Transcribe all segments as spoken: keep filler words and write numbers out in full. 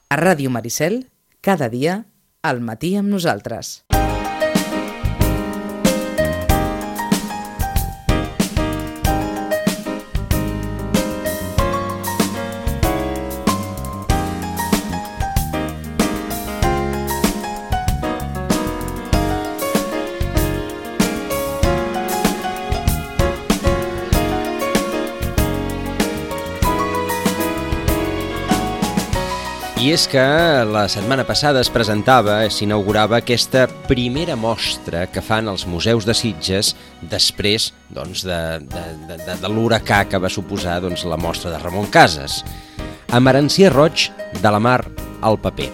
A Ràdio Maricel, cada dia, al matí amb nosaltres. I és que la setmana passada es presentava, s'inaugurava aquesta primera mostra que fan els museus de Sitges després doncs, de, de, de, de l'huracà que va suposar doncs, la mostra de Ramon Casas. Emerancier Roig, de la mar al paper.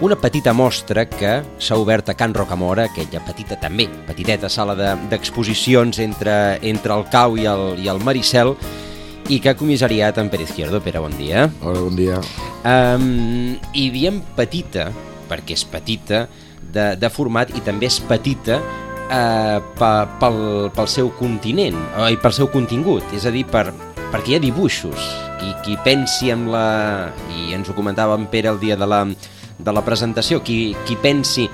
Una petita mostra que s'ha obert a Can Rocamora, aquella petita també, petiteta sala de, d'exposicions entre, entre el Cau i el, i el Maricel, i que ha comissariat en Pere Izquierdo. Pere, bon dia. Hola, bon dia. Um, I diem petita, perquè és petita, de, de format, i també és petita uh, pe, pel, pel seu continent, uh, i pel seu contingut, és a dir, per, perquè hi ha dibuixos, i qui pensi en la... i ens ho comentava en Pere el dia de la, de la presentació, qui, qui pensi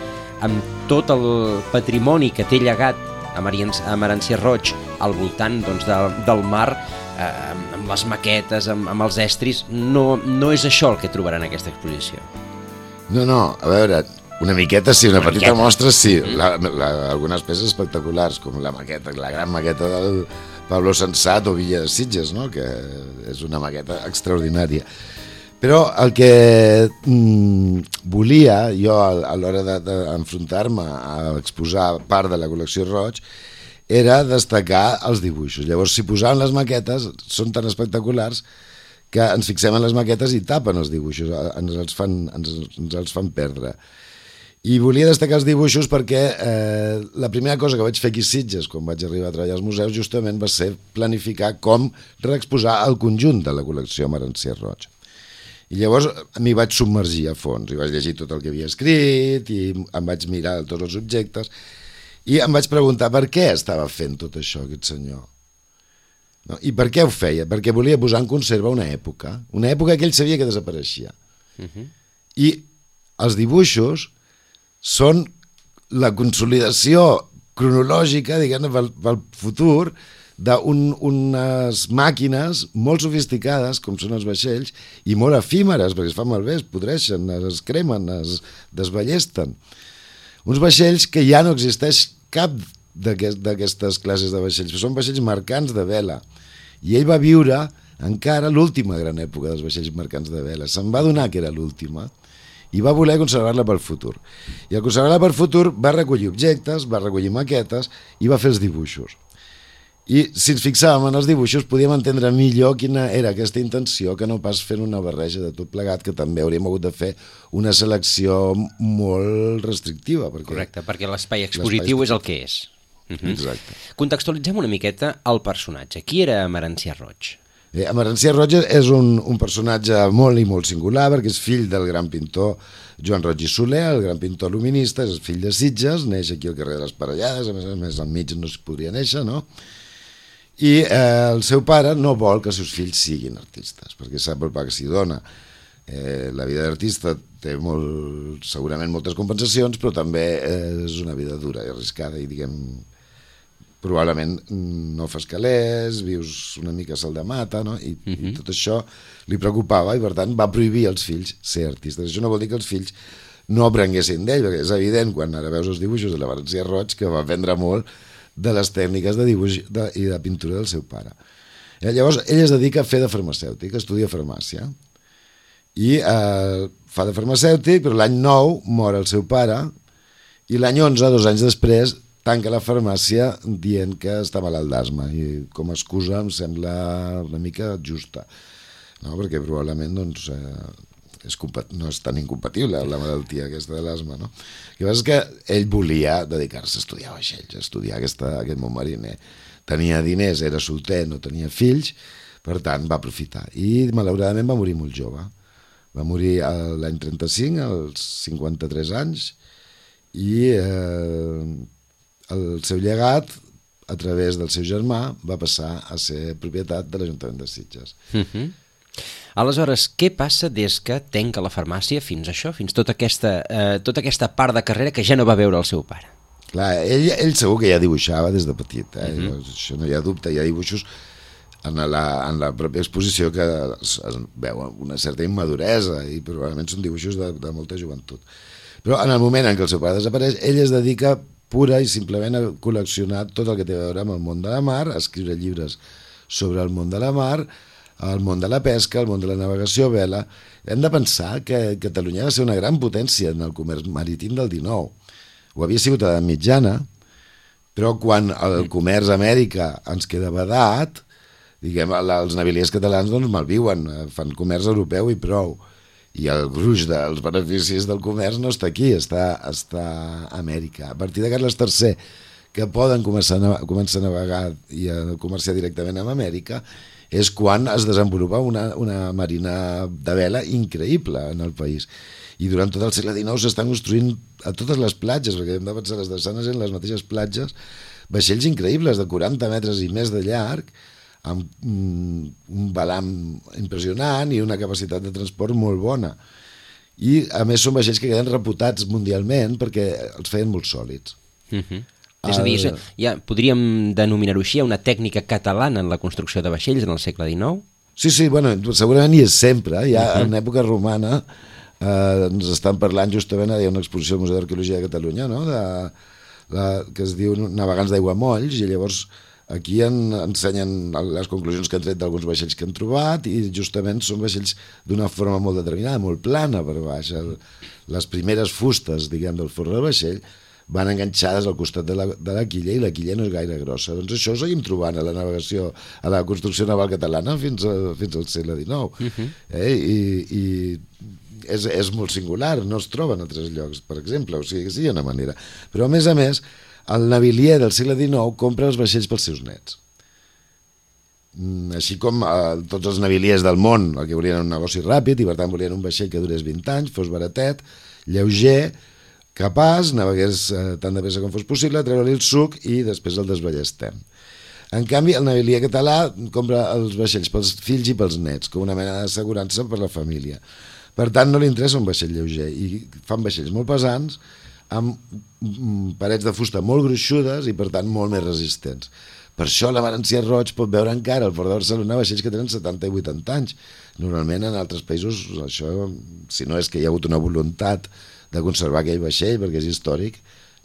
en tot el patrimoni que té llegat a Emerancier Roig al voltant doncs, de, del mar, eh, amb les maquetes, amb, amb els estris, no, no és això el que trobaran en aquesta exposició. No, no, a veure, una miqueta sí, una, una petita miqueta. Mostra sí, mm. la, la, algunes peces espectaculars, com la maqueta, la gran maqueta del Pablo Sensat o Villa de Sitges, no? Que és una maqueta extraordinària. Però el que mm, volia jo a l'hora d'enfrontar-me a exposar part de la col·lecció Roig era destacar els dibuixos. Llavors, si posaven les maquetes, són tan espectaculars que ens fixem en les maquetes i tapen els dibuixos, ens els fan, ens, ens els fan perdre. I volia destacar els dibuixos perquè eh, la primera cosa que vaig fer aquí a Sitges, quan vaig arribar a treballar als museus, justament va ser planificar com reexposar el conjunt de la col·lecció Emerancier Roig. I llavors m'hi vaig submergir a fons, i vaig llegir tot el que havia escrit, i em vaig mirar tots els objectes, i em vaig preguntar per què estava fent tot això aquest senyor. No? I per què ho feia? Perquè volia posar en conserva una època, una època que ell sabia que desapareixia. Uh-huh. I els dibuixos són la consolidació cronològica, diguem-ne, pel, pel futur, d'unes màquines molt sofisticades, com són els vaixells, i molt efímeres, perquè es fan malbé, es podreixen, es cremen, es desballesten. Uns vaixells que ja no existeix cap d'aquestes classes de vaixells, però són vaixells mercants de vela. I ell va viure encara l'última gran època dels vaixells mercants de vela. Se'n va adonar que era l'última i va voler conservar-la pel futur. I al conservar-la pel futur va recollir objectes, va recollir maquetes i va fer els dibuixos. I si ens fixàvem en els dibuixos podíem entendre millor quina era aquesta intenció que no pas fent una barreja de tot plegat, que també hauríem hagut de fer una selecció molt restrictiva. Perquè correcte, perquè l'espai expositiu és el que és. Uh-huh. Exacte. Contextualitzem una miqueta el personatge. Qui era Emerancier Roig? Eh, Emerancier Roig és un, un personatge molt i molt singular, perquè és fill del gran pintor Joan Roig i Soler, el gran pintor luminista, és fill de Sitges, neix aquí al carrer de les Parellades, a més a més al mig no es podria néixer, no? I eh, el seu pare no vol que els seus fills siguin artistes, perquè sap el pa que s'hi dona. Eh, la vida d'artista té molt, segurament moltes compensacions, però també eh, és una vida dura i arriscada, i diguem, probablement no fas calés, vius una mica sal de mata, no? I, uh-huh. i tot això li preocupava, i per tant va prohibir als fills ser artistes. Això no vol dir que els fills no aprenguessin d'ell, perquè és evident, quan ara veus els dibuixos de l'Emerancier Roig, que va aprendre molt de les tècniques de dibuix de, i de pintura del seu pare. Eh, llavors, ell es dedica a fer de farmacèutic, estudia farmàcia, i eh, fa de farmacèutic, però l'any nou mor el seu pare, i l'any onze, dos anys després, tanca la farmàcia dient que està malalt d'asma, i com a excusa em sembla una mica justa, no? Perquè probablement doncs, eh, és no és tan incompatible la malaltia aquesta de l'asma, no? El que passa és que ell volia dedicar-se a estudiar vaixells, a estudiar aquesta, aquest món mariner. Tenia diners, era solter, no tenia fills, per tant va aprofitar. I malauradament va morir molt jove. Va morir l'any trenta-cinc, als cinquanta-tres anys, i eh, el seu llegat, a través del seu germà, va passar a ser propietat de l'Ajuntament de Sitges. Uh-huh. Aleshores, què passa des que tanca la farmàcia fins a això, fins tota aquesta, eh, tota aquesta part de carrera que ja no va veure el seu pare? Clar, ell, ell segur que ja dibuixava des de petit, eh? Mhm. Uh-huh. Això no hi ha dubte, hi ha dibuixos en la, en la pròpia exposició que es, es veu una certa immaduresa i probablement són dibuixos de, de molta joventut. Però en el moment en què el seu pare desapareix, ell es dedica pura i simplement a col·leccionar tot el que té a veure amb el món de la mar, a escriure llibres sobre el món de la mar, el món de la pesca, el món de la navegació a vela. Hem de pensar que Catalunya va ser una gran potència en el comerç marítim del dinou. Ho havia sigut a l'edat mitjana, però quan el comerç a Amèrica ens queda vedat, diguem, els naviliers catalans doncs malviuen, fan comerç europeu i prou. I el gruix dels beneficis del comerç no està aquí, està, està a Amèrica. A partir de Carles tercer, que poden començar a, començar a navegar i a comerciar directament amb Amèrica, és quan es desenvolupa una, una marina de vela increïble en el país. I durant tot el segle dinou s'estan construint a totes les platges, perquè hem de pensar les drassanes en les mateixes platges, vaixells increïbles de quaranta metres i més de llarg, amb un balam impressionant i una capacitat de transport molt bona. I a més són vaixells que queden reputats mundialment perquè els feien molt sòlids. Uh-huh. És a dir, ja podríem denominar-ho així, una tècnica catalana en la construcció de vaixells en el segle dinou? Sí, sí, bueno, segurament hi és sempre. Ja uh-huh. en època romana eh, ens estan parlant justament, hi ha una exposició al Museu d'Arqueologia de Catalunya, no? de, la, que es diu Navegants d'Aiguamolls, i llavors aquí en, ensenyen les conclusions que han tret d'alguns vaixells que han trobat, i justament són vaixells d'una forma molt determinada, molt plana per baix. El, les primeres fustes, diguem, del forn del vaixell van enganxades al costat de la, de la quilla, i la quilla no és gaire grossa. Doncs això ho seguim trobant a la navegació, a la construcció naval catalana fins, a, fins al segle dinou. Uh-huh. eh? I, i és, és molt singular, no es troba en altres llocs, per exemple, o sigui que sí, hi ha una manera. Però a més a més, el navilier del segle dinou compra els vaixells pels seus nets. Així com eh, tots els naviliers del món, el que volien un negoci ràpid, i per tant volien un vaixell que durés vint anys, fos baratet, lleuger, capaç, navegués eh, tant de pressa com fos possible, treure-li el suc i després el desballestem. En canvi, el navilier català compra els vaixells pels fills i pels nets, com una mena d'assegurança per la família. Per tant, no li interessa un vaixell lleuger, i fan vaixells molt pesants, amb parets de fusta molt gruixudes i, per tant, molt més resistents. Per això la Valencià Roig pot veure encara al Port de Barcelona vaixells que tenen setanta i vuitanta anys. Normalment, en altres països, això, si no és que hi ha hagut una voluntat de conservar aquell vaixell, perquè és històric,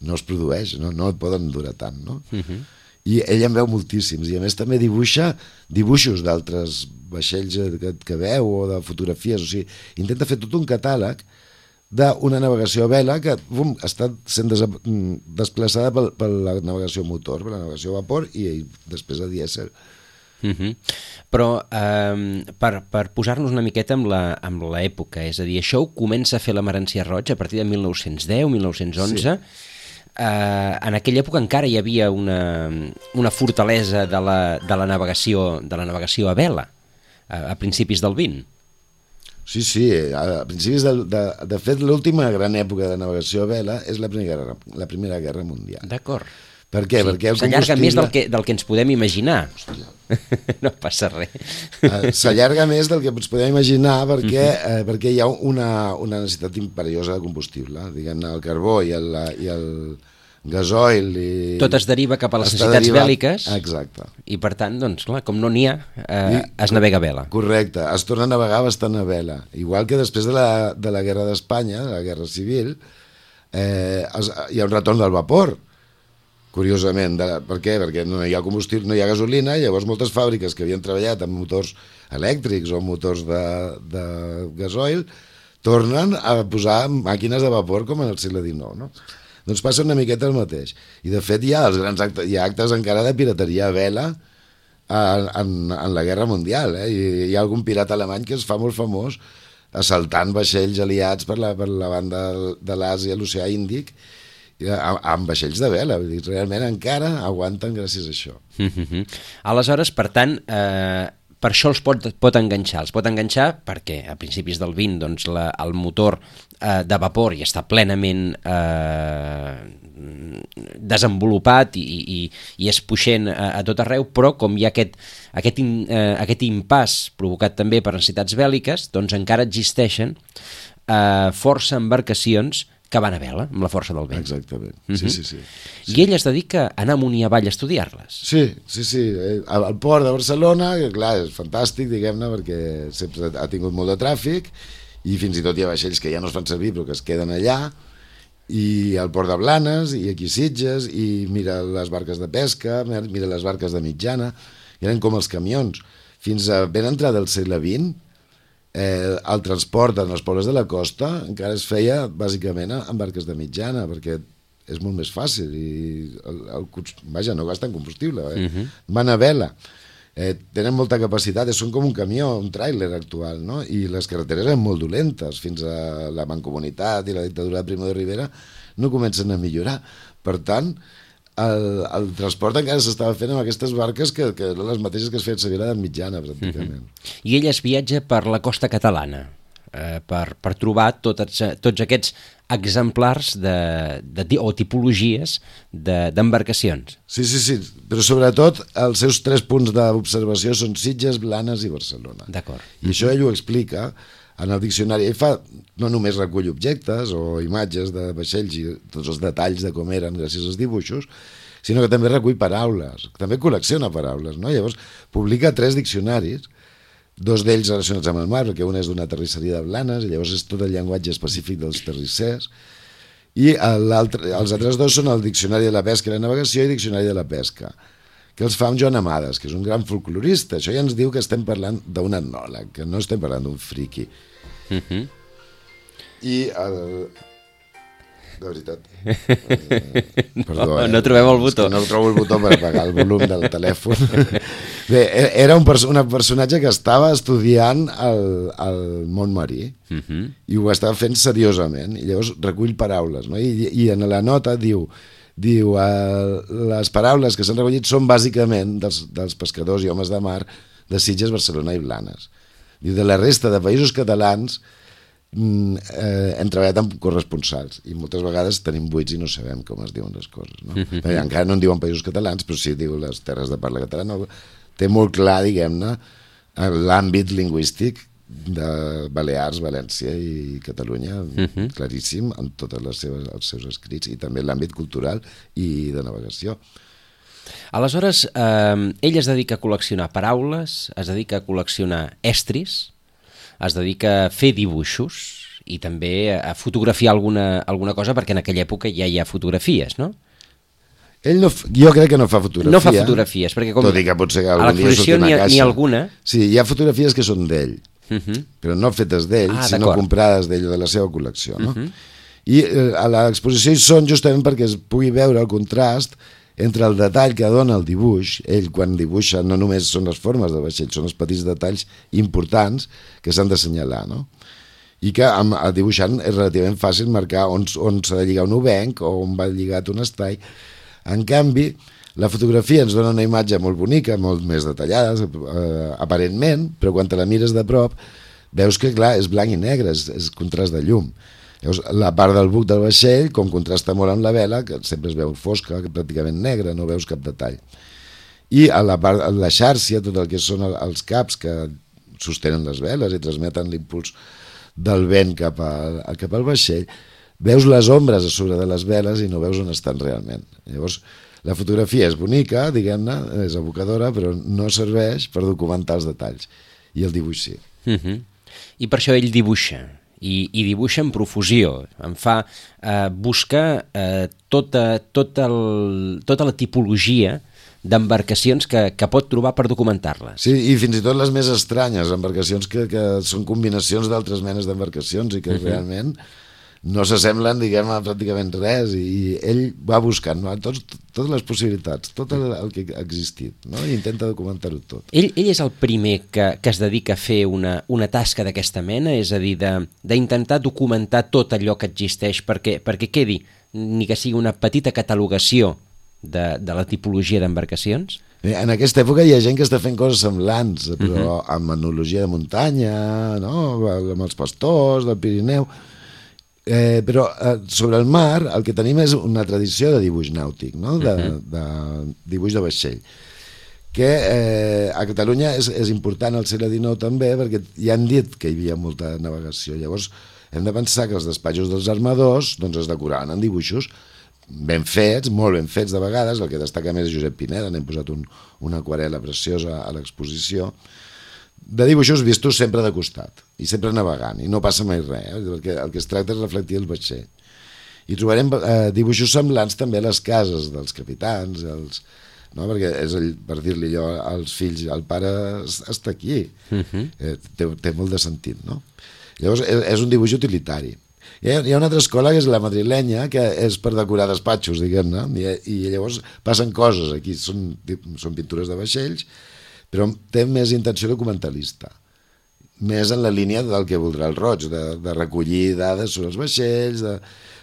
no es produeix, no, no el poden durar tant, no? Uh-huh. I ell en veu moltíssims, i a més també dibuixa dibuixos d'altres vaixells que, que veu, o de fotografies, o sigui, intenta fer tot un catàleg d'una navegació a vela que bum, està sent des, desplaçada per, per la navegació a motor, per la navegació a vapor i, i després a dièsel. Uh-huh. Però eh, per, per posar-nos una miqueta amb la, amb l'època, és a dir, això ho comença a fer la Valencià Roig a partir de mil nou-cents deu, mil nou-cents onze. Sí. Eh, en aquella època encara hi havia una, una fortalesa de la, de la navegació de la navegació a vela, a, a principis del vint. Sí, sí, a principis de, de, de fet l'última gran època de navegació a vela és la Primera, la primera Guerra Mundial. D'acord. Per què? Sí, perquè el s'allarga combustible... més del que, del que ens podem imaginar. No passa res. Uh, s'allarga més del que ens podem imaginar perquè, uh-huh. uh, perquè hi ha una, una necessitat imperiosa de combustible. Diguem-ne, el carbó i el, i el gasoil... I... Tot es deriva cap a les necessitats derivat... bèl·liques. Exacte. I per tant, doncs, clar, com no n'hi ha, eh, I, es navega a vela. Correcte, es torna a navegar bastant a vela. Igual que després de la, de la Guerra d'Espanya, de la Guerra Civil, eh, es, hi ha un retorn del vapor. Curiosament, de, per què? Perquè no hi ha combustible, no hi ha gasolina, i llavors moltes fàbriques que havien treballat amb motors elèctrics o motors de, de gasoil tornen a posar màquines de vapor com en el segle dinou, no? Doncs passa una miqueta el mateix. I de fet hi ha, els grans actes, hi ha actes encara de pirateria a vela en, en, en la Guerra Mundial, eh? I hi ha algun pirata alemany que es fa molt famós assaltant vaixells aliats per la, per la banda de l'Àsia, l'Oceà Índic, amb vaixells de vela, vull dir, realment encara aguanten gràcies a això. Mm-hmm. Aleshores, per tant, eh, per això els pot, pot enganxar. Els pot enganxar perquè a principis del vint doncs, la, el motor eh, de vapor ja està plenament eh, desenvolupat i, i, i és puixent a, a tot arreu, però com hi ha aquest, aquest, in, eh, aquest impàs provocat també per necessitats bèl·liques, doncs encara existeixen eh, força embarcacions que van a vela, amb la força del vent. Exactament, uh-huh. sí, sí, sí. I ell es dedica a anar amunt i avall a estudiar-les. Sí, sí, sí. Al port de Barcelona, que clar, és fantàstic, diguem-ne, perquè sempre ha tingut molt de tràfic, i fins i tot hi ha vaixells que ja no es fan servir, però que es queden allà, i al port de Blanes, i aquí Sitges, i mira les barques de pesca, mira les barques de mitjana, i eren com els camions. Fins a ben entrada del segle vint, Eh, el transport en els pobles de la costa encara es feia bàsicament amb barques de mitjana, perquè és molt més fàcil i el, el, vaja, no gasten combustible, eh? Uh-huh. Van a vela, eh, tenen molta capacitat, són com un camió, un tràiler actual, no? I les carreteres eren molt dolentes fins a la Mancomunitat i la dictadura de Primo de Rivera no comencen a millorar. Per tant, el, el transport encara s'estava fent amb aquestes barques que, que eren les mateixes que es feien servir a la mitjana, pràcticament. Uh-huh. I ell es viatja per la costa catalana eh, per, per trobar tots, tots aquests exemplars de, de, o tipologies d'embarcacions. De, sí, sí, sí, però sobretot els seus tres punts d'observació són Sitges, Blanes i Barcelona. D'acord. I això ell ho explica en el diccionari. Ell fa, no només recull objectes o imatges de vaixells i tots els detalls de com eren gràcies als dibuixos, sinó que també recull paraules, també col·lecciona paraules, no? Llavors publica tres diccionaris, dos d'ells relacionats amb el mar, perquè un és d'una terrisseria de Blanes, i llavors és tot el llenguatge específic dels terrissers, i els altres dos són el Diccionari de la Pesca i la Navegació i el Diccionari de la Pesca, que els fa amb Joan Amades, que és un gran folclorista. Això ja ens diu que estem parlant d'un etnòleg, que no estem parlant d'un friqui. Uh-huh. I el... de veritat eh, perdó, no, eh? no trobem el botó, no trobo el botó per apagar el volum del telèfon. Bé, era un, perso un personatge que estava estudiant el, el món marí, uh-huh. i ho estava fent seriosament, i llavors recull paraules, no? I, i en la nota diu diu, eh, les paraules que s'han recollit són bàsicament dels, dels pescadors i homes de mar de Sitges, Barcelona i Blanes. Diu, de la resta de països catalans eh, hem treballat amb corresponsals i moltes vegades tenim buits i no sabem com es diuen les coses, no? Mm-hmm. Perquè encara no en diuen països catalans, però sí diu les terres de parla catalana. Té molt clar, diguem-ne, l'àmbit lingüístic de Balears, València i Catalunya, uh-huh. claríssim en tots els seus escrits, i també l'àmbit cultural i de navegació. Aleshores, eh, ell es dedica a col·leccionar paraules, es dedica a col·leccionar estris, es dedica a fer dibuixos i també a fotografiar alguna, alguna cosa, perquè en aquella època ja hi ha fotografies, no? Ell no, jo crec que no fa fotografia. No fa fotografies, perquè com tot i que potser que a l'exposició n'hi ha, ha alguna. Sí, hi ha fotografies que són d'ell, uh-huh. però no fetes d'ell, ah, sinó comprades d'ell o de la seva col·lecció, no? Uh-huh. I eh, a l'exposició hi són justament perquè es pugui veure el contrast entre el detall que dona el dibuix. Ell, quan dibuixa, no només són les formes del vaixell, són els petits detalls importants que s'han d'assenyalar, no? I que amb el dibuixant és relativament fàcil marcar on, on s'ha de lligar un obenc o on va lligat un estall. En canvi, la fotografia ens dona una imatge molt bonica, molt més detallada, eh, aparentment, però quan te la mires de prop, veus que, clar, és blanc i negre, és, és contrast de llum. Llavors, la part del buc del vaixell, com contrasta molt amb la vela, que sempre es veu fosca, pràcticament negra, no veus cap detall. I a la part, a la xàrcia, tot el que són els caps que sostenen les veles i transmeten l'impuls del vent cap, a, cap al vaixell, veus les ombres a sobre de les veles i no veus on estan realment. Llavors, la fotografia és bonica, diguem-ne, és evocadora, però no serveix per documentar els detalls. I el dibuix sí. Uh-huh. I per això ell dibuixa. I, i dibuixa en profusió, em fa eh, buscar eh, tota, tota, el, tota la tipologia d'embarcacions que, que pot trobar per documentar-les. Sí, i fins i tot les més estranyes, embarcacions que, que són combinacions d'altres menes d'embarcacions i que uh-huh. realment no s'assemblen, diguem, a pràcticament res, i ell va buscant, no? Tots, totes les possibilitats, tot el, el que ha existit, no? I intenta documentar-ho tot. Ell, ell és el primer que, que es dedica a fer una, una tasca d'aquesta mena, és a dir, d'intentar documentar tot allò que existeix perquè, perquè quedi, ni que sigui una petita catalogació de, de la tipologia d'embarcacions? En aquesta època hi ha gent que està fent coses semblants, però uh-huh. amb etnologia de muntanya, no? Amb els pastors del Pirineu. Eh, però eh, sobre el mar el que tenim és una tradició de dibuix nàutic, no? de, uh-huh. de dibuix de vaixell, que eh, a Catalunya és, és important al segle dinou també, perquè ja han dit que hi havia molta navegació. Llavors hem de pensar que els despatxos dels armadors doncs, es decoraven en dibuixos ben fets, molt ben fets de vegades. El que destaca més és Josep Pineda, n'hem posat un, una aquarel·la preciosa a l'exposició, de dibuixos vistos sempre de costat i sempre navegant, i no passa mai res, eh? Perquè el que es tracta és reflectir el vaixell. I trobarem eh, dibuixos semblants també a les cases dels capitans, els, no? Perquè és el, per dir-li allò als fills, el pare està aquí, uh-huh. eh, té, té molt de sentit, no? Llavors és, és un dibuix utilitari. Hi ha, hi ha una altra escola que és la madrilenya, que és per decorar despatxos, diguem-ne, i, i llavors passen coses aquí, són, són pintures de vaixells, però té més intenció documentalista, més en la línia del que voldrà el Roig, de, de recollir dades sobre els vaixells, de...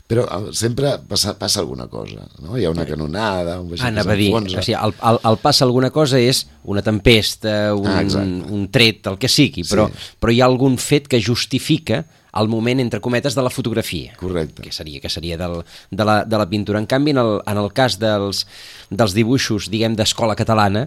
però sempre passa, passa alguna cosa, no? Hi ha una canonada, un vaixell Anava que s'enfonsa. O sigui, el, el, el passa alguna cosa és una tempesta, un, ah, un tret, el que sigui, però, sí. però hi ha algun fet que justifica el moment, entre cometes, de la fotografia. Correcte. Que seria, que seria del, de, la, de la pintura. En canvi, en el, en el cas dels, dels dibuixos, diguem, d'escola catalana,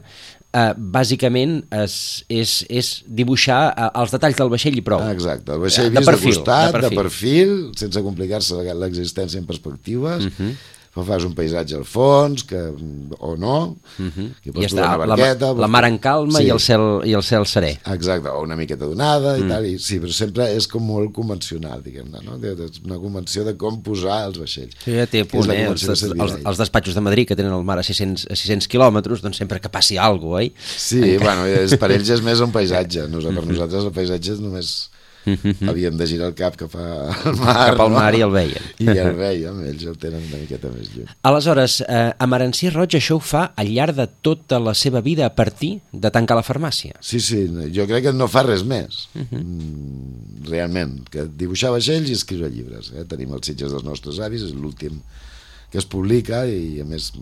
eh, bàsicament és, és, és dibuixar eh, els detalls del vaixell i prou. Ah, exacte, el vaixell vist de, perfil, de costat, de perfil. de perfil, sense complicar-se l'existència en perspectives, uh-huh. fas un paisatge al fons, que, o no, uh-huh. que pots I està, una barqueta... La, la mar en calma sí. i, el cel, i el cel serè. Exacte, o una miqueta donada i mm. tal, i, sí, però sempre és com molt convencional, diguem-ne, no? És una convenció de com posar els vaixells. Sí, ja té punt, eh? Els, els, els, els despatxos de Madrid, que tenen el mar a sis cents quilòmetres, doncs sempre que passi alguna cosa, oi? Sí, Encara... bueno, és, per ells és més un paisatge, no, per nosaltres el paisatge és només... Mm-hmm. Havíem de girar el cap cap al mar, cap al mar no? i el veien. I el veiem, ells el tenen una miqueta més lluny. Aleshores, eh, Emerenci Roig això ho fa al llarg de tota la seva vida a partir de tancar la farmàcia. Sí, sí, jo crec que no fa res més, uh-huh. mm, realment, que dibuixar vaixells i escriure llibres. Eh? Tenim els Sitges dels nostres avis, és l'últim que es publica i a més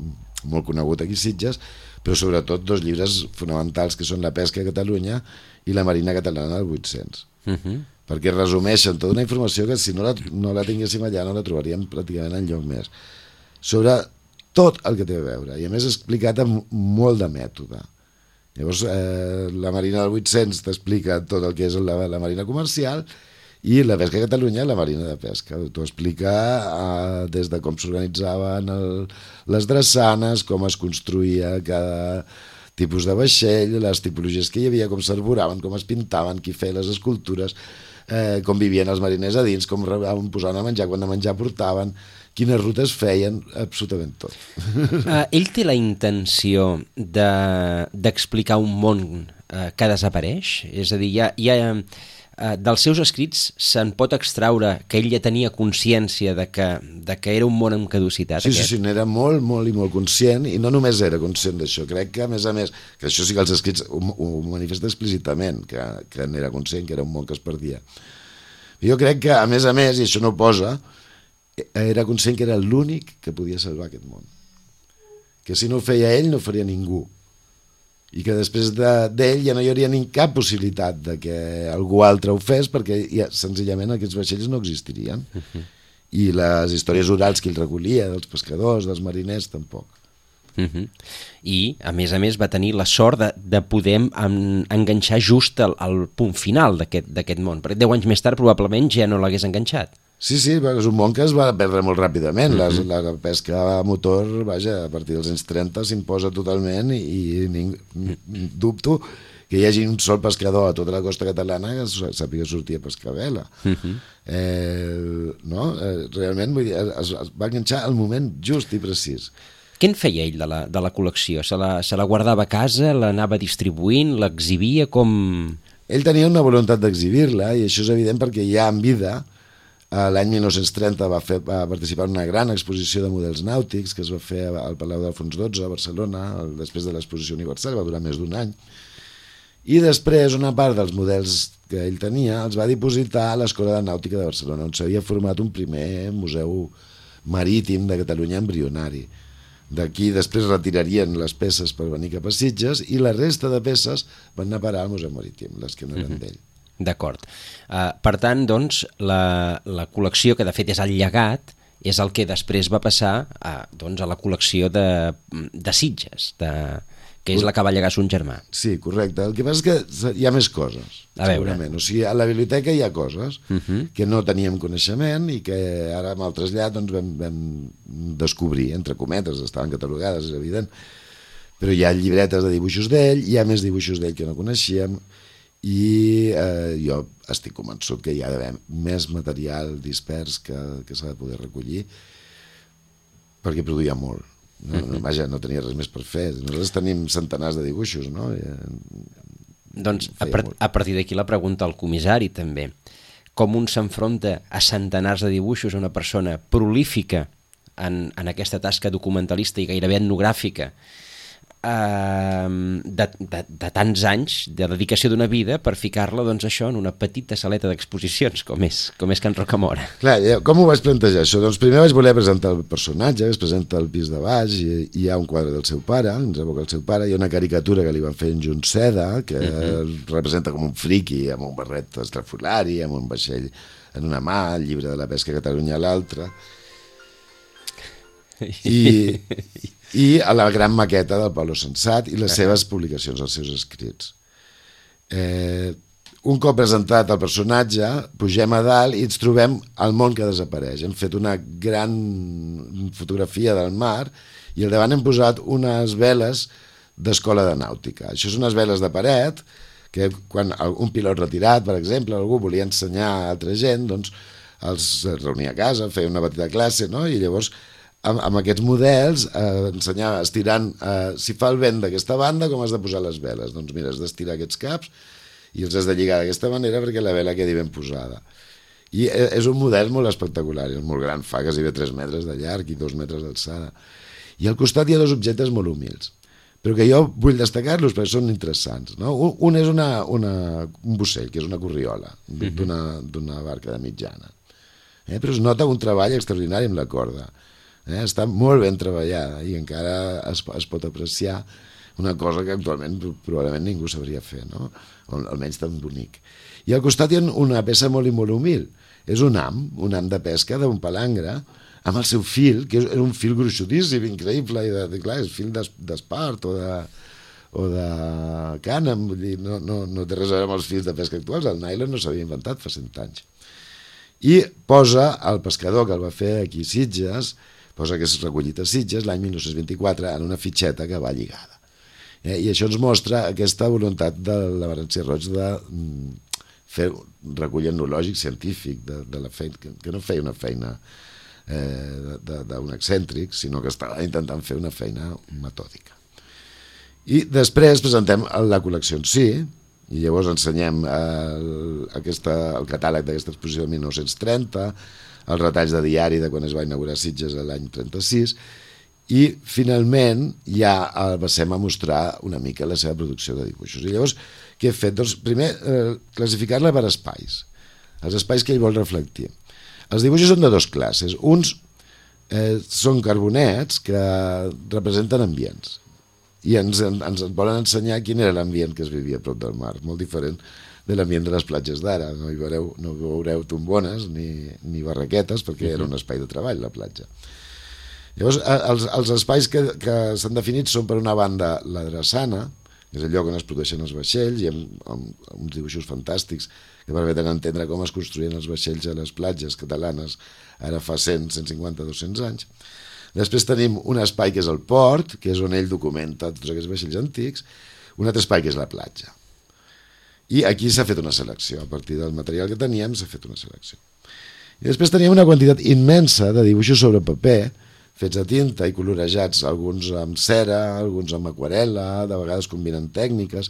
molt conegut aquí a Sitges, però sobretot dos llibres fonamentals que són La pesca a Catalunya i La marina catalana del vuit-cents. Uh-huh. Perquè resumeixen tota una informació que si no la, no la tinguéssim allà no la trobaríem pràcticament enlloc més, sobre tot el que té a veure, i a més explicat amb molt de mètode. Llavors eh, la marina del vuit-cents t'explica tot el que és la, la marina comercial, i la pesca a Catalunya, la marina de pesca. T'ho explica eh, des de com s'organitzaven el, les drassanes, com es construïa cada tipus de vaixell, les tipologies que hi havia, com s'arboraven, com es pintaven, qui feia les escultures, eh, com vivien els mariners a dins, com posaven a menjar, quan de menjar portaven, quines rutes feien, absolutament tot. Uh, ell té la intenció de, d'explicar un món uh, que desapareix? És a dir, hi ha, hi ha, uh, dels seus escrits se'n pot extraure que ell ja tenia consciència de que, de que era un món en caducitat? Sí, aquest? sí, sí, n'era molt, molt i molt conscient, i no només era conscient d'això, crec que a més a més, que això sí que els escrits ho, ho manifesta explícitament, que, que n'era conscient, que era un món que es perdia. Jo crec que, a més a més, i això no ho posa, era conscient que era l'únic que podia salvar aquest món. Que si no ho feia ell, no ho faria ningú. I que després d'ell de, ja no hi hauria ni cap possibilitat de que algú altre ho fes, perquè ja, senzillament aquests vaixells no existirien. Uh-huh. I les històries orals que ell recollia, dels pescadors, dels mariners, tampoc. Uh-huh. I, a més a més, va tenir la sort de, de poder en, enganxar just al, al punt final d'aquest, d'aquest món. Perquè deu anys més tard probablement ja no l'hagués enganxat. Sí, sí, és un món que es va perdre molt ràpidament. Uh-huh. la, la pesca a motor, vaja, a partir dels anys trenta s'imposa totalment, i, i ning, dubto que hi hagi un sol pescador a tota la costa catalana que sàpiga sortir a pescar vela. Uh-huh. eh, no? eh, realment vull dir, es, es va enganxar al moment just i precís. Què en feia ell de la, de la col·lecció? Se la, se la guardava a casa, l'anava distribuint, l'exhibia, com...? Ell tenia una voluntat d'exhibir-la, i això és evident perquè ja en vida, l'any mil nou-cents trenta va, fer, va participar en una gran exposició de models nàutics que es va fer al Palau d'Alfons dotze a Barcelona, després de l'exposició universal, va durar més d'un any. I després una part dels models que ell tenia els va dipositar a l'Escola de Nàutica de Barcelona, on s'havia format un primer museu marítim de Catalunya embrionari. D'aquí després retirarien les peces per venir cap a Sitges i la resta de peces van anar a parar al Museu Marítim, les que no eren d'ell. D'acord. Uh, per tant, doncs, la, la col·lecció, que de fet és el llegat, és el que després va passar a, doncs, a la col·lecció de, de Sitges, de, que és la que va llegar son germà. Sí, correcte. El que passa és que hi ha més coses, a segurament. Veure. O sigui, a la biblioteca hi ha coses uh -huh. que no teníem coneixement i que ara amb el trasllat doncs, vam, vam descobrir, entre cometes, estaven catalogades, és evident. Però hi ha llibretes de dibuixos d'ell, hi ha més dibuixos d'ell que no coneixíem, i eh, jo estic convençut que hi ha d'haver més material dispers que, que s'ha de poder recollir, perquè produïa molt. No, no, vaja, no tenia res més per fer. Nosaltres tenim centenars de dibuixos, no? I, doncs a, part, a partir d'aquí la pregunta al comissari també. Com un s'enfronta a centenars de dibuixos a una persona prolífica en, en aquesta tasca documentalista i gairebé etnogràfica, Uh, de, de, de tants anys de dedicació d'una vida per ficar-la, doncs, això en una petita saleta d'exposicions com és, com és Can Rocamora. Clar, com ho vaig plantejar això? Doncs primer vaig voler presentar el personatge, es presenta al pis de baix i hi ha un quadre del seu pare, ens evoca el seu pare, hi ha una caricatura que li van fer en Junceda que uh -huh. representa com un friqui amb un barret estrafolari, amb un vaixell en una mà, el llibre de la pesca a Catalunya a l'altra, i i a la gran maqueta del Pablo Sensat i les seves publicacions, els seus escrits. Eh, un cop presentat el personatge, pugem a dalt i ens trobem el món que desapareix. Hem fet una gran fotografia del mar i al davant hem posat unes veles d'escola de nàutica. Això són unes veles de paret que quan un pilot retirat, per exemple, algú volia ensenyar a altra gent, doncs els reunia a casa, feia una petita classe, no? I llavors amb, amb aquests models eh, ensenyava estirant, eh, si fa el vent d'aquesta banda, com has de posar les veles? Doncs mira, has d'estirar aquests caps i els has de lligar d'aquesta manera perquè la vela quedi ben posada. I és un model molt espectacular, és molt gran, fa quasi tres metres de llarg i dos metres d'alçada. I al costat hi ha dos objectes molt humils, però que jo vull destacar-los perquè són interessants, no? Un, un és una, una, un bussell, que és una corriola d'una barca de mitjana, eh? Però es nota un treball extraordinari amb la corda. Eh, està molt ben treballada i encara es, es pot apreciar una cosa que actualment probablement ningú sabria fer, no? O almenys tan bonic. I al costat hi ha una peça molt i molt humil, és un ham, un ham de pesca d'un palangre amb el seu fil, que és un fil gruixudíssim, increïble, i de, de, clar, és fil d'espart o de, o de cànem, vull dir, no, no, no té res a veure amb els fils de pesca actuals, el nylon no s'havia inventat fa cent anys. I posa el pescador que el va fer aquí a Sitges, posa que és recollit a Sitges l'any mil nou-cents vint-i-quatre en una fitxeta que va lligada. Eh? I això ens mostra aquesta voluntat de la València Roig de mm, fer recull etnològic científic de, de la feina, que, que no feia una feina eh, d'un excèntric, sinó que estava intentant fer una feina metòdica. I després presentem la col·lecció en si, i llavors ensenyem el, aquesta, el catàleg d'aquesta exposició de mil nou-cents trenta, els retalls de diari de quan es va inaugurar Sitges l'any trenta-sis, i finalment ja el passem a mostrar una mica la seva producció de dibuixos. I llavors, què he fet? Doncs primer, eh, classificar-la per espais, els espais que ell vol reflectir. Els dibuixos són de dues classes. Uns eh, són carbonets que representen ambients i ens, ens volen ensenyar quin era l'ambient que es vivia a prop del mar, molt diferent de l'ambient de les platges d'ara. No hi veureu, no veureu tombones ni, ni barraquetes perquè era un espai de treball, la platja. Llavors, els, els espais que, que s'han definit són, per una banda, la drassana, que és el lloc on es produeixen els vaixells, i amb, amb, amb uns dibuixos fantàstics que permeten entendre com es construïen els vaixells a les platges catalanes ara fa cent, cent cinquanta, dos-cents anys. Després tenim un espai que és el port, que és on ell documenta tots aquests vaixells antics, un altre espai que és la platja. I aquí s'ha fet una selecció, a partir del material que teníem s'ha fet una selecció. I després teníem una quantitat immensa de dibuixos sobre paper, fets a tinta i colorejats, alguns amb cera, alguns amb aquarel·la, de vegades combinen tècniques,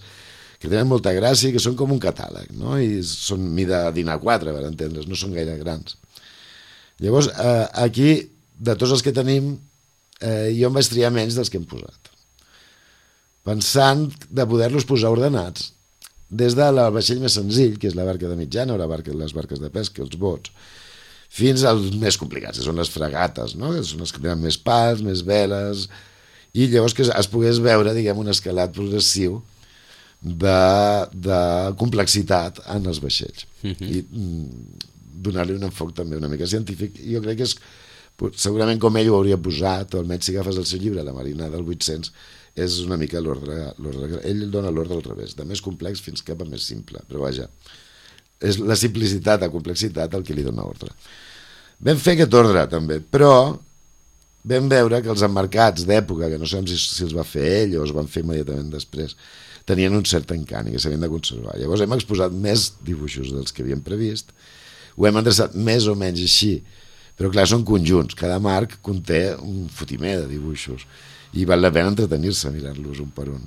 que tenen molta gràcia i que són com un catàleg, no? I són mida dinar quatre, per entendre's, no són gaire grans. Llavors, eh, aquí, de tots els que tenim, eh, jo em vaig triar menys dels que hem posat, pensant de poder-los posar ordenats, des del vaixell més senzill, que és la barca de mitjana, o la barca, les barques de pesca, els bots, fins als més complicats, que són les fregates, no? Que són les que tenen més pals, més veles, i llavors que es pogués veure, diguem, un escalat progressiu de, de complexitat en els vaixells. Uh-huh. I mm, donar-li un enfoc també una mica científic. I jo crec que és, segurament com ell ho hauria posat, o almenys si agafes el seu llibre, La Marina del vuit-cents, és una mica l'ordre, ell dona l'ordre al revés, de més complex fins cap a més simple, però vaja, és la simplicitat a complexitat el que li dona ordre. Vam fer aquest ordre també, però vam veure que els emmarcats d'època, que no sabem si, si els va fer ell o els van fer immediatament després, tenien un cert encant i que s'havien de conservar. Llavors hem exposat més dibuixos dels que havíem previst, ho hem endreçat més o menys així, però clar, són conjunts, cada marc conté un fotimer de dibuixos i val la pena entretenir-se mirant-los un per un.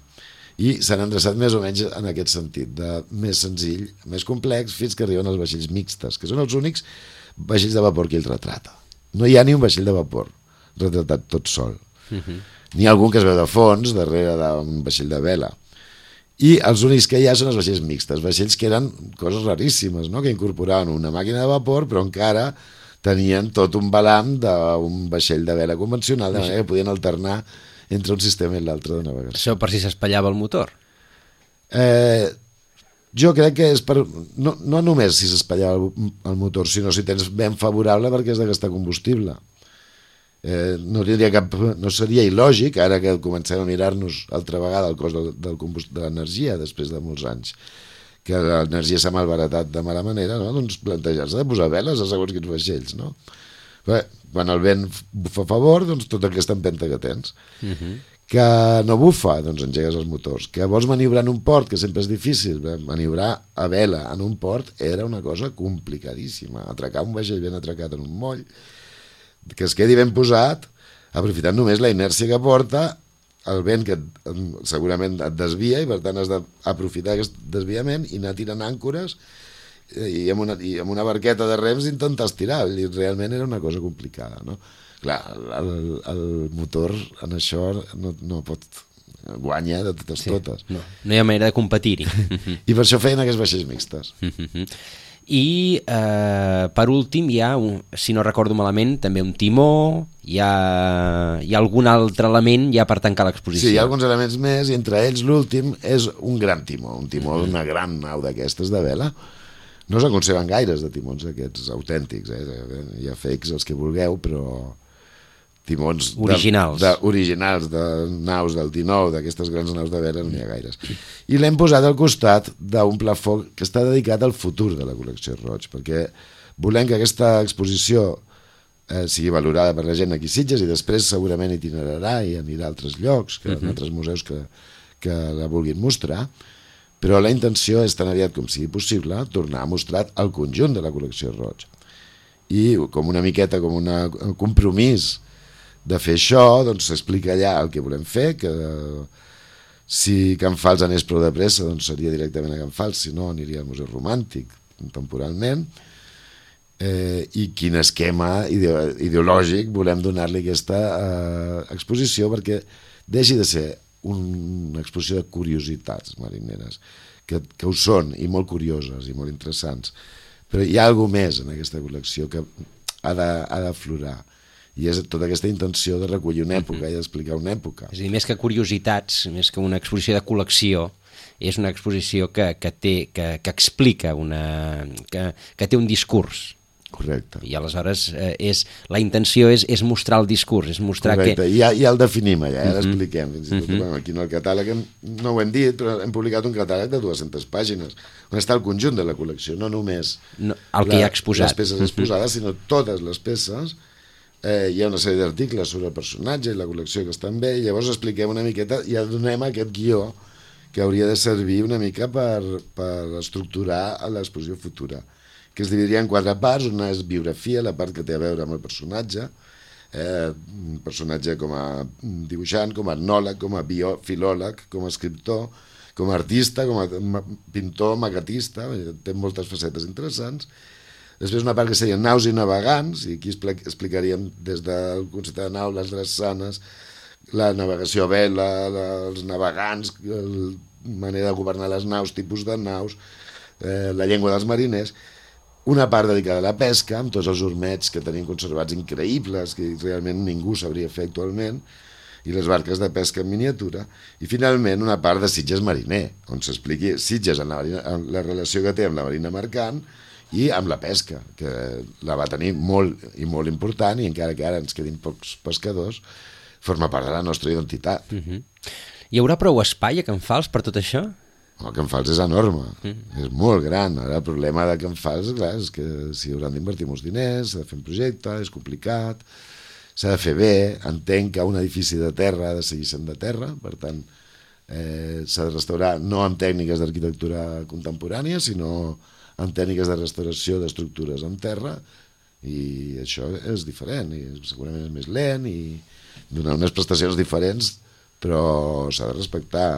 I s'han endreçat més o menys en aquest sentit, de més senzill, més complex, fins que arriben els vaixells mixtes, que són els únics vaixells de vapor que ell retrata. No hi ha ni un vaixell de vapor retratat tot sol. Uh-huh. N'hi ha algun que es veu de fons, darrere d'un vaixell de vela. I els únics que hi ha són els vaixells mixtes, vaixells que eren coses raríssimes, no? Que incorporaven una màquina de vapor, però encara tenien tot un balam d'un vaixell de vela convencional, de manera que podien alternar entre un sistema i l'altre de navegació. Això per si s'espatllava el motor? Eh, jo crec que és per... No, no només si s'espatllava el, el motor, sinó si tens vent favorable perquè has de gastar combustible. Eh, no, cap, no seria il·lògic, ara que comencem a mirar-nos altra vegada el cost del, del de l'energia després de molts anys, que l'energia s'ha malbaratat de mala manera, no? Doncs plantejar-se de posar veles a segons quins vaixells, no? Bé, quan el vent bufa a favor, doncs tota aquesta empenta que tens. Uh-huh. Que no bufa, doncs engegues els motors. Que vols maniobrar en un port, que sempre és difícil, maniobrar a vela en un port era una cosa complicadíssima. Atracar un vaixell ben atracat en un moll, que es quedi ben posat, aprofitant només la inèrcia que porta, el vent que segurament et desvia i per tant has d'aprofitar aquest desviament i anar tirant àncores i amb una, i amb una barqueta de rems intentar estirar, i realment era una cosa complicada, no? Clar, el, el motor en això no, no pot guanyar de totes sí, totes. No, no hi ha manera de competir-hi. I per això feien aquests vaixells mixtes. I eh, per últim hi ha, un, si no recordo malament, també un timó, hi ha, hi ha algun altre element ja per tancar l'exposició. Sí, hi ha alguns elements més i entre ells l'últim és un gran timó, un timó d'una gran nau d'aquestes de vela. No s'aconsegueixen gaires de timons aquests autèntics, eh? Hi ha fakes els que vulgueu, però timons originals de, de, originals de naus del dinou, d'aquestes grans naus de vela, no n'hi ha gaires. I l'hem posat al costat d'un plafó que està dedicat al futur de la col·lecció Roig, perquè volem que aquesta exposició eh, sigui valorada per la gent aquí a Sitges i després segurament itinerarà i anirà a altres llocs, que, uh-huh. en altres museus que, que la vulguin mostrar, però la intenció és tan aviat com sigui possible tornar a mostrar el conjunt de la col·lecció Roig. I com una miqueta, com una, un compromís de fer això, doncs s'explica allà el que volem fer, que si Can Fals anés prou de pressa doncs seria directament a Can Fals, si no aniria al Museu Romàntic temporalment, eh, i quin esquema ide- ideològic volem donar-li a aquesta eh, exposició perquè deixi de ser una exposició de curiositats marineres, que, que ho són i molt curioses i molt interessants, però hi ha alguna més en aquesta col·lecció que ha de, ha d'aflorar. I és tota aquesta intenció de recollir una època uh-huh. i d'explicar una època. És a dir, més que curiositats, més que una exposició de col·lecció, és una exposició que, que, té, que, que explica, una, que, que té un discurs. Correcte. I aleshores eh, és, la intenció és, és mostrar el discurs, és mostrar Correcte. que... I ja, ja el definim allà, ja uh-huh. l'expliquem. Fins i tot, uh-huh. bueno, aquí en el catàleg hem, no ho hem dit, però hem publicat un catàleg de dues-centes pàgines, on està el conjunt de la col·lecció, no només no, el que la, hi ha exposat. les peces exposades, uh-huh. sinó totes les peces. Eh, hi ha una sèrie d'articles sobre el personatge i la col·lecció que estan bé, i llavors expliquem una miqueta i ja donem aquest guió que hauria de servir una mica per, per estructurar l'exposició futura, que es dividiria en quatre parts. Una és biografia, la part que té a veure amb el personatge, eh, un personatge com a dibuixant, com a etnòleg, com a bio, filòleg, com a escriptor, com a artista, com a pintor, maquetista, té moltes facetes interessants. Després una part que seria naus i navegants, i aquí explicaríem des del concepte de nau, les drassanes, la navegació a vela, la, els navegants, la manera de governar les naus, tipus de naus, eh, la llengua dels mariners. Una part dedicada a la pesca, amb tots els ormets que tenim conservats increïbles, que realment ningú sabria fer actualment, i les barques de pesca en miniatura, i finalment una part de Sitges mariner, on s'expliqui Sitges en la, marina, en la relació que té amb la marina mercant i amb la pesca, que la va tenir molt i molt important, i encara que ara ens quedin pocs pescadors, forma part de la nostra identitat. Uh-huh. Hi haurà prou espai a Can Fals per tot això? El Can Fals és enorme, mm. és molt gran. Ara el problema de Can Fals, clar, és que s'hi hauran d'invertir molts diners, s'ha de fer un projecte, és complicat, s'ha de fer bé. Entenc que un edifici de terra ha de seguir sent de terra, per tant, eh, s'ha de restaurar no amb tècniques d'arquitectura contemporània, sinó amb tècniques de restauració d'estructures en terra, i això és diferent, i segurament és més lent, i donar unes prestacions diferents, però s'ha de respectar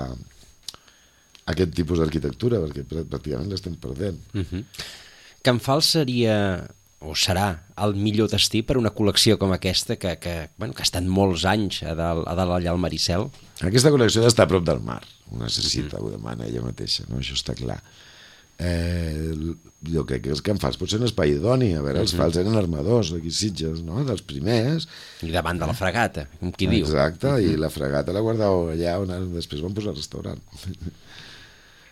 aquest tipus d'arquitectura, perquè pràcticament l'estem perdent. Uh-huh. Can Fals seria, o serà, el millor destí per una col·lecció com aquesta, que, que, bueno, que ha estat molts anys a dalt, a dalt allà al Maricel? Aquesta col·lecció ha d'estar a prop del mar, ho necessita, uh-huh. ho demana ella mateixa, no? Això està clar. Eh, jo crec que Can Fals pot ser un espai idoni. A veure, els uh-huh. Fals eren armadors d'aquí Sitges, no? Dels primers, i davant de la fregata, com qui diu. Exacte, uh-huh. i la fregata la guardau allà on després van posar restaurant.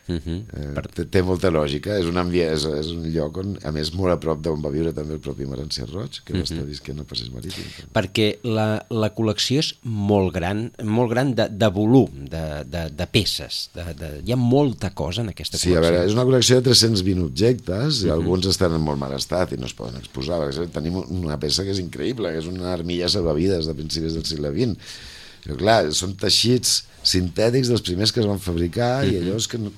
Uh-huh. eh, per... té, té molta lògica, és un, ambient, és, és un lloc on, a més, molt a prop d'on va viure també el propi Marancià Roig, que uh-huh. va estar visquent al Passeig Marítim. Perquè la, la col·lecció és molt gran, molt gran de, de volum, de, de, de peces, de, de, hi ha molta cosa en aquesta col·lecció. Sí, a veure, és una col·lecció de tres-cents vint objectes, i uh-huh. alguns estan en molt mal estat i no es poden exposar. Per exemple, tenim una peça que és increïble, que és una armilla salvavides de principis del segle vint. Però clar, són teixits sintètics dels primers que es van fabricar, uh-huh. i allò és que no,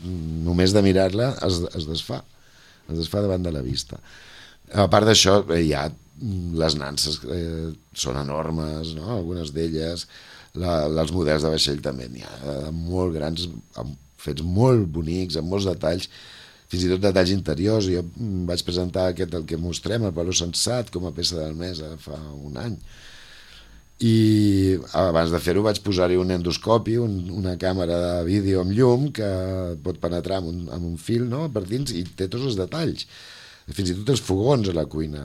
només de mirar-la es, es desfà, es desfà davant de la vista. A part d'això, eh, hi ha les nanses, eh, són enormes, no? Algunes d'elles, la, els models de vaixell també n'hi ha molt grans, amb, fets molt bonics, amb molts detalls, fins i tot detalls interiors. Jo vaig presentar aquest, el que mostrem, el Pablo Sensat, com a peça del mes fa un any. I abans de fer-ho vaig posar-hi un endoscopi, un, una càmera de vídeo amb llum que pot penetrar amb un, amb un fil, no?, per dins, i té tots els detalls, fins i tot els fogons a la cuina,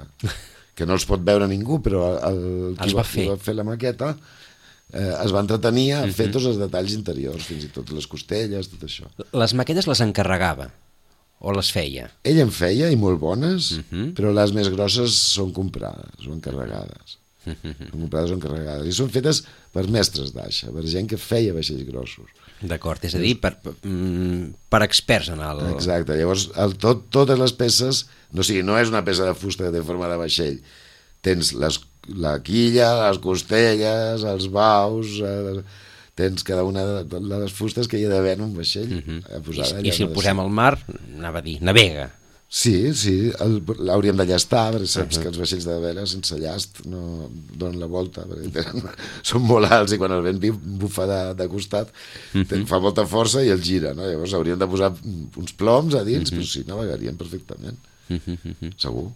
que no els pot veure ningú, però el, qui, va, qui va fer la maqueta eh, es va entretenir a fer uh-huh. tots els detalls interiors, fins i tot les costelles, tot això. Les maquetes les encarregava o les feia? Ell en feia, i molt bones, uh-huh. però les més grosses són comprades o encarregades. Són comprades o encarregades, i són fetes per mestres d'aixa, per gent que feia vaixells grossos. D'acord, és a dir, per, per, per experts en el... Exacte, llavors el, tot, totes les peces, no, o sigui, no és una peça de fusta que té forma de vaixell, tens les, la quilla, les costelles, els baus, eh, tens cada una de les fustes que hi ha d'haver en un vaixell. Uh-huh. I, I si el posem al mar, anava a dir, navega. Sí, sí, l'hauríem de llastar, perquè saps uh-huh. que els vaixells de vela sense llast no donen la volta, perquè tenen, són molt alts, i quan el vent bufa de, de costat uh-huh. fa molta força i el gira, no? Llavors hauríem de posar uns ploms a dins, uh-huh. però sí, navegarien perfectament, uh-huh. segur.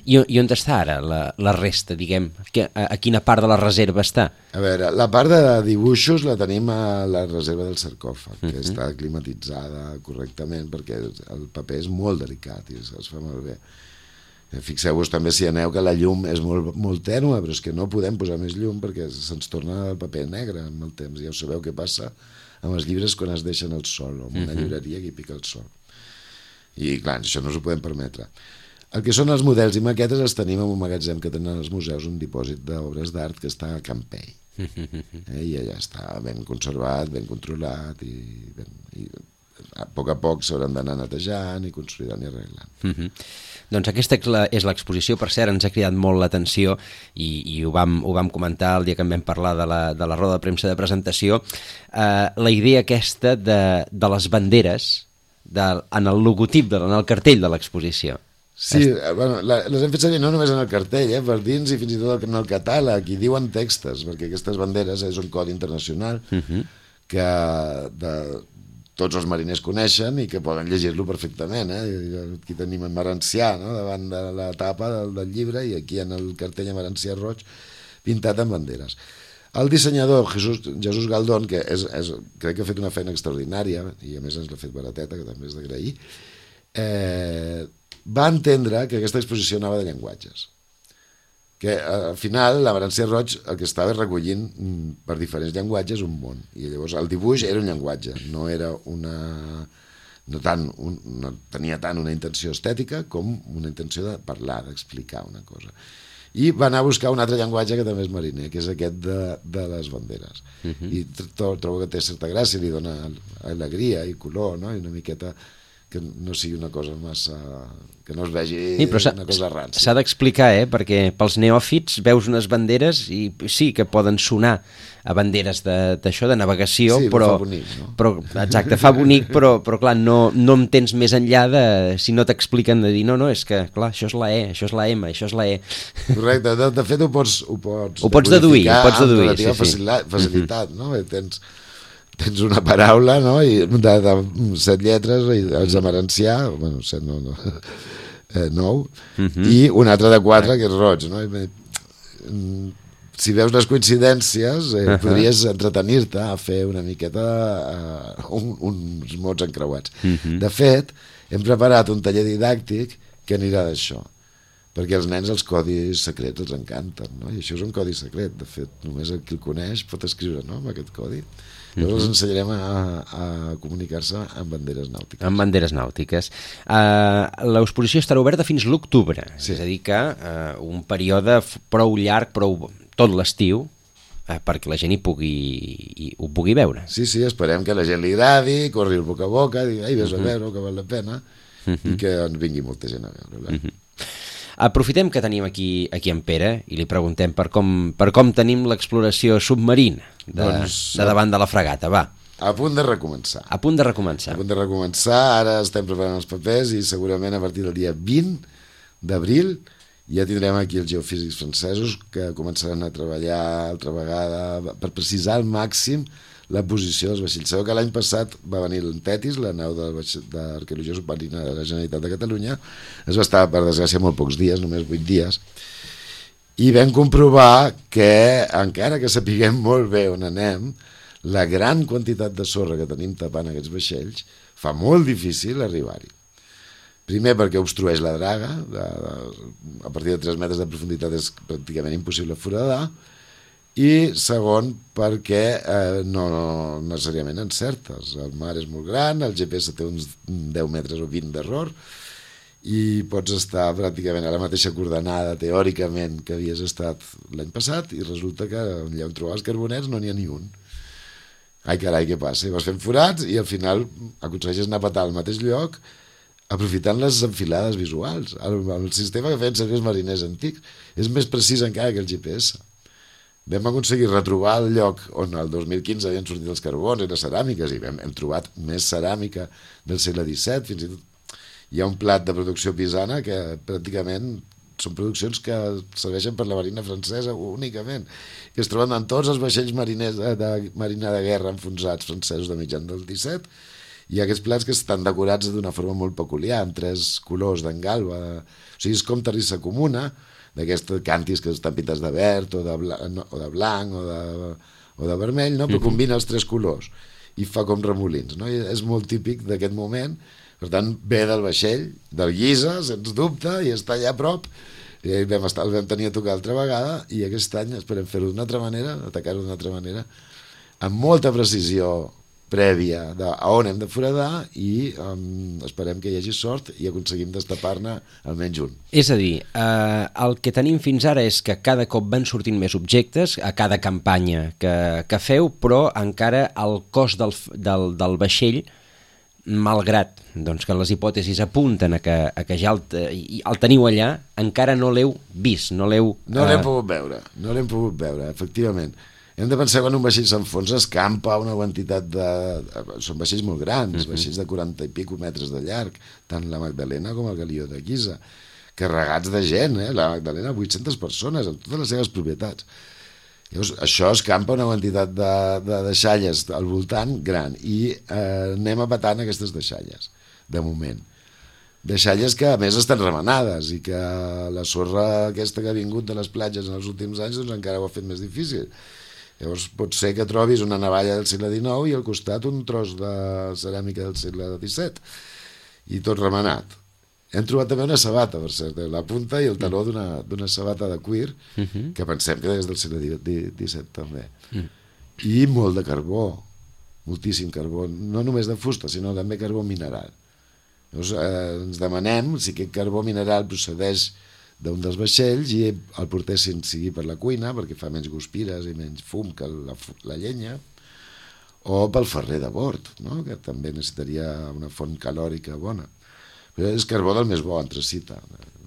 I, I on està ara la, la resta, diguem? Que, a, a quina part de la reserva està? A veure, la part de dibuixos la tenim a la reserva del sarcòfag, que uh-huh. està climatitzada correctament, perquè el paper és molt delicat i es, es fa molt bé. Fixeu-vos també, si aneu, que la llum és molt, molt tènua, però és que no podem posar més llum perquè se'ns torna el paper negre amb el temps. Ja ho sabeu què passa amb els llibres quan es deixen al sol, o en una uh-huh. llibreria que hi pica el sol. I clar, això no s'ho podem permetre. El que són els models i maquetes els tenim en un magatzem que tenen els museus, un dipòsit d'obres d'art que està a Campell. Eh, I allà està ben conservat, ben controlat, i, ben, i a poc a poc s'hauran d'anar netejant i consolidant i arreglant. Uh-huh. Doncs aquesta és l'exposició, per cert, ens ha cridat molt l'atenció i, i ho, vam, ho vam comentar el dia que en vam parlar de la, de la roda de premsa de presentació, eh, la idea aquesta de, de les banderes de, en el logotip, de, en el cartell de l'exposició. Sí, bueno, la, les hem fet servir no només en el cartell, eh, per dins i fins i tot en el catàleg, i diuen textos, perquè aquestes banderes és un codi internacional uh-huh. que de, tots els mariners coneixen i que poden llegir-lo perfectament. Eh? Aquí tenim en Marancià, no?, davant de la tapa del, del llibre, i aquí en el cartell a Marancià Roig pintat amb banderes. El dissenyador Jesús, Jesús Galdón, que és, és, crec que ha fet una feina extraordinària, i a més ens l'ha fet barateta, que també és d'agrair, eh, va entendre que aquesta exposició anava de llenguatges, que al final la Venància Roig el que estava recollint per diferents llenguatges un món, i llavors el dibuix era un llenguatge, no era una... No, tant, un, no tenia tant una intenció estètica com una intenció de parlar, d'explicar una cosa. I va anar a buscar un altre llenguatge que també és mariner, que és aquest de, de les banderes. Uh-huh. I trobo que té certa gràcia, li dona alegria i color, no? I una miqueta que no sigui una cosa massa... que no es vegi sí, una cosa rància. S'ha d'explicar, eh? Perquè pels neòfits veus unes banderes i sí que poden sonar a banderes d'això, de, de navegació, sí, però, fa bonic, no? Però, exacte, fa bonic, però, però clar, no, no entens més enllà de, si no t'expliquen de dir, no, no, és que, clar, això és la E, això és la M, això és la E. Correcte, de, de fet ho pots... Ho pots, ho pots deduir, ho pots deduir, amb relativa sí, sí. facilitat, no? Tens, tens una paraula, no?, i de, de set lletres, i els amarencià, bueno, set no, no, eh, nou, uh-huh. I un altre de quatre, que és roig, no? I, si veus les coincidències, eh, uh-huh. podries entretenir-te a fer una miqueta uh, un, uns mots encreuats. Uh-huh. De fet, hem preparat un taller didàctic que anirà d'això, perquè als nens els codis secrets els encanten, no? I això és un codi secret, de fet, només el qui el coneix pot escriure, no?, amb aquest codi. Llavors els ensenyarem a, a comunicar-se amb banderes nàutiques. Amb banderes nàutiques. Uh, l'exposició estarà oberta fins l'octubre, sí. És a dir que uh, un període prou llarg, prou tot l'estiu, uh, perquè la gent hi pugui, hi, ho pugui veure. Sí, sí, esperem que la gent li agradi, corri el boca a boca, digui, ai, vés a veure, que val la pena, uh-huh. I que en vingui molta gent a veure. Uh-huh. Aprofitem que tenim aquí, aquí en Pere i li preguntem per com, per com tenim l'exploració submarina de, doncs, de davant de la fragata, va. A punt de recomençar. A punt de recomençar. A punt de recomençar, ara estem preparant els papers i segurament a partir del dia vint d'abril ja tindrem aquí els geofísics francesos que començaran a treballar altra vegada per precisar al màxim la posició dels vaixells. Sabeu que l'any passat va venir l'Antetis, la nau d'arqueologia submarina de la Generalitat de Catalunya, es va estar, per desgràcia, molt pocs dies, només vuit dies, i vam comprovar que, encara que sapiguem molt bé on anem, la gran quantitat de sorra que tenim tapant aquests vaixells fa molt difícil arribar-hi. Primer perquè obstrueix la draga, de, de, a partir de tres metres de profunditat és pràcticament impossible foradar, i segon perquè eh, no, no necessàriament encertes. El mar és molt gran, el G P S té uns deu metres o vint d'error i pots estar pràcticament a la mateixa coordenada teòricament que havies estat l'any passat i resulta que allà on trobaves carboners no n'hi ha ni un. Ai carai, què passa? I vas fent forats i al final aconsegueixes anar a petar al mateix lloc aprofitant les enfilades visuals. El, el sistema que feien servir els mariners antics és més precís encara que el G P S. Vam aconseguir retrobar el lloc on el dos mil quinze havien sortit els carbons i les ceràmiques i vam, hem trobat més ceràmica del segle disset, fins i tot hi ha un plat de producció pisana que pràcticament són produccions que serveixen per la marina francesa únicament, que es troben en tots els vaixells mariners de, de marina de guerra enfonsats francesos de mitjan del disset. Hi ha aquests plats que estan decorats d'una forma molt peculiar, amb tres colors d'engalba, o sigui, és com terrissa comuna, d'aquestes càntirs que estan pintats de verd o de blanc o de, blanc, o de, o de vermell, no? Però combina els tres colors i fa com remolins, no? I és molt típic d'aquest moment, per tant ve del vaixell, del guisa, sens dubte, i està allà a prop, i vam, estar, el vam tenir a tocar altra vegada i aquest any esperem fer-ho d'una altra manera, atacar-ho d'una altra manera, amb molta precisió prèvia de a on hem de foradar i um, esperem que hi hagi sort i aconseguim destapar-ne almenys un. És a dir, eh, el que tenim fins ara és que cada cop van sortint més objectes a cada campanya que, que feu, però encara el cost del, del, del vaixell, malgrat doncs, que les hipòtesis apunten a que, a que ja el, el teniu allà, encara no l'heu vist, no l'heu... No l'hem eh... pogut veure, no l'hem pogut veure, efectivament. Hem de pensar que quan un vaixell s'enfonsa escampa una quantitat de... Són vaixells molt grans, uh-huh. vaixells de quaranta i pico metres de llarg, tant la Magdalena com el Galió de Guisa, carregats de gent, eh? La Magdalena, vuit-centes persones, amb totes les seves propietats. Llavors, això escampa una quantitat de, de deixalles al voltant gran i eh, anem apatant aquestes deixalles, de moment. Deixalles que a més estan remenades i que la sorra aquesta que ha vingut de les platges en els últims anys doncs encara ho ha fet més difícil. Llavors pot ser que trobis una navalla del segle dinou i al costat un tros de ceràmica del segle disset i tot remenat. Hem trobat també una sabata, per cert, la punta i el taló d'una d'una sabata de cuir, uh-huh. que pensem que és del segle disset també. Uh-huh. I molt de carbó, moltíssim carbó, no només de fusta, sinó també carbó mineral. Llavors, eh, ens demanem si aquest carbó mineral procedeix d'un dels vaixells i el portessin sigui per la cuina, perquè fa menys guspires i menys fum que la, la llenya, o pel ferrer de bord, no? Que també necessitaria una font calòrica bona. Però és carbó del més bo, anthracita,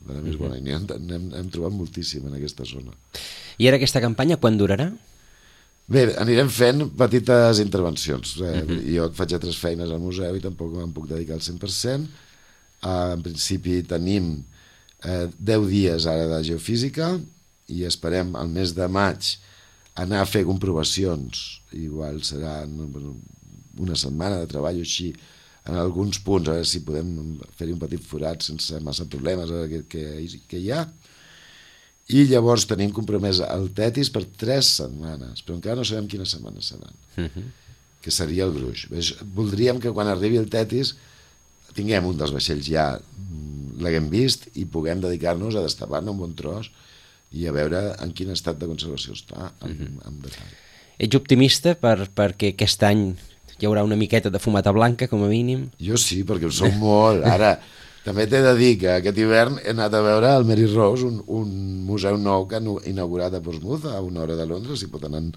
de la més bona, i n'hem hem trobat moltíssim en aquesta zona. I ara aquesta campanya quan durarà? Bé, anirem fent petites intervencions. Eh? Uh-huh. Jo faig altres feines al museu i tampoc me'n puc dedicar al cent per cent. Eh, en principi tenim eh, deu dies ara de geofísica i esperem al mes de maig anar a fer comprovacions. Igual serà una setmana de treball així en alguns punts, a veure si podem fer-hi un petit forat sense massa problemes que, que, que hi ha. I llavors tenim compromès el Tetis per tres setmanes, però encara no sabem quines setmanes seran, uh-huh. que seria el gruix. Voldríem que quan arribi el Tetis tinguem un dels vaixells ja, l'haguem vist, i puguem dedicar-nos a destapar-ne un bon tros i a veure en quin estat de conservació està, en, uh-huh. en detall. Ets optimista per, perquè aquest any hi haurà una miqueta de fumata blanca, com a mínim? Jo sí, perquè ho som molt. Ara, també t'he de dir que aquest hivern he anat a veure el Mary Rose, un, un museu nou que han inaugurat a Portsmouth, a una hora de Londres, s'hi pot anar en,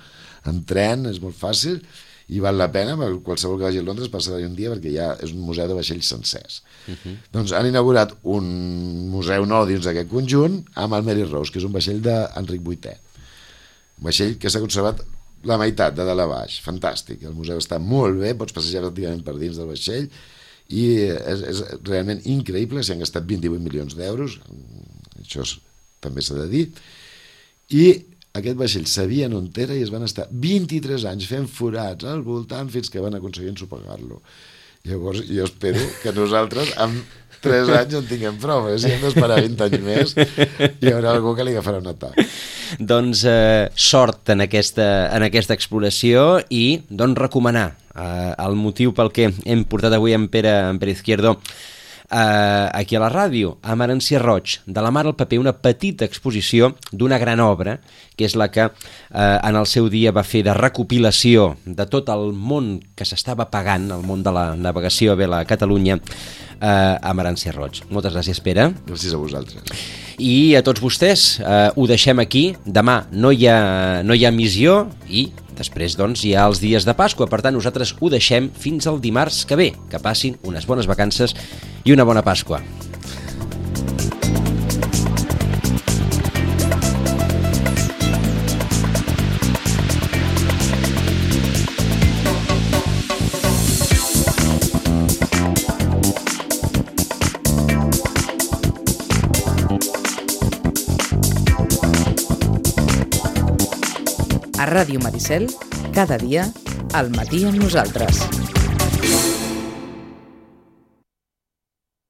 en tren, és molt fàcil, i val la pena, perquè qualsevol que vagi a Londres passarà un dia, perquè ja és un museu de vaixells sencers. Uh-huh. Doncs han inaugurat un museu nou dins d'aquest conjunt amb el Mary Rose, que és un vaixell d'Enric vuitè. Un vaixell que s'ha conservat la meitat, de dalt a baix, fantàstic. El museu està molt bé, pots passejar pràcticament per dins del vaixell i és, és realment increïble, s'hi han gastat vint-i-vuit milions d'euros, això és, també s'ha de dir, i aquest vaixell sabien on era i es van estar vint-i-tres anys fent forats al voltant fins que van aconseguir ensopegar-lo. Llavors jo espero que nosaltres amb tres anys en tinguem prou, eh? Si hem d'esperar vint anys més hi haurà algú que li agafarà un atac. Doncs eh, sort en aquesta, en aquesta exploració i doncs recomanar eh, el motiu pel que hem portat avui en Pere, en Pere Izquierdo eh, aquí a la ràdio, a Merencia Roig, de la mar al paper, una petita exposició d'una gran obra, que és la que eh, en el seu dia va fer de recopilació de tot el món que s'estava pagant, el món de la navegació a vela a Catalunya, eh, a Merencia Roig. Moltes gràcies, Pere. Gràcies a vosaltres. I a tots vostès, eh, ho deixem aquí. Demà no hi ha, no hi ha missió i després doncs, hi ha els dies de Pasqua. Per tant, nosaltres ho deixem fins al dimarts que ve. Que passin unes bones vacances i una bona Pasqua. A Ràdio Maricel, cada dia, al matí amb nosaltres.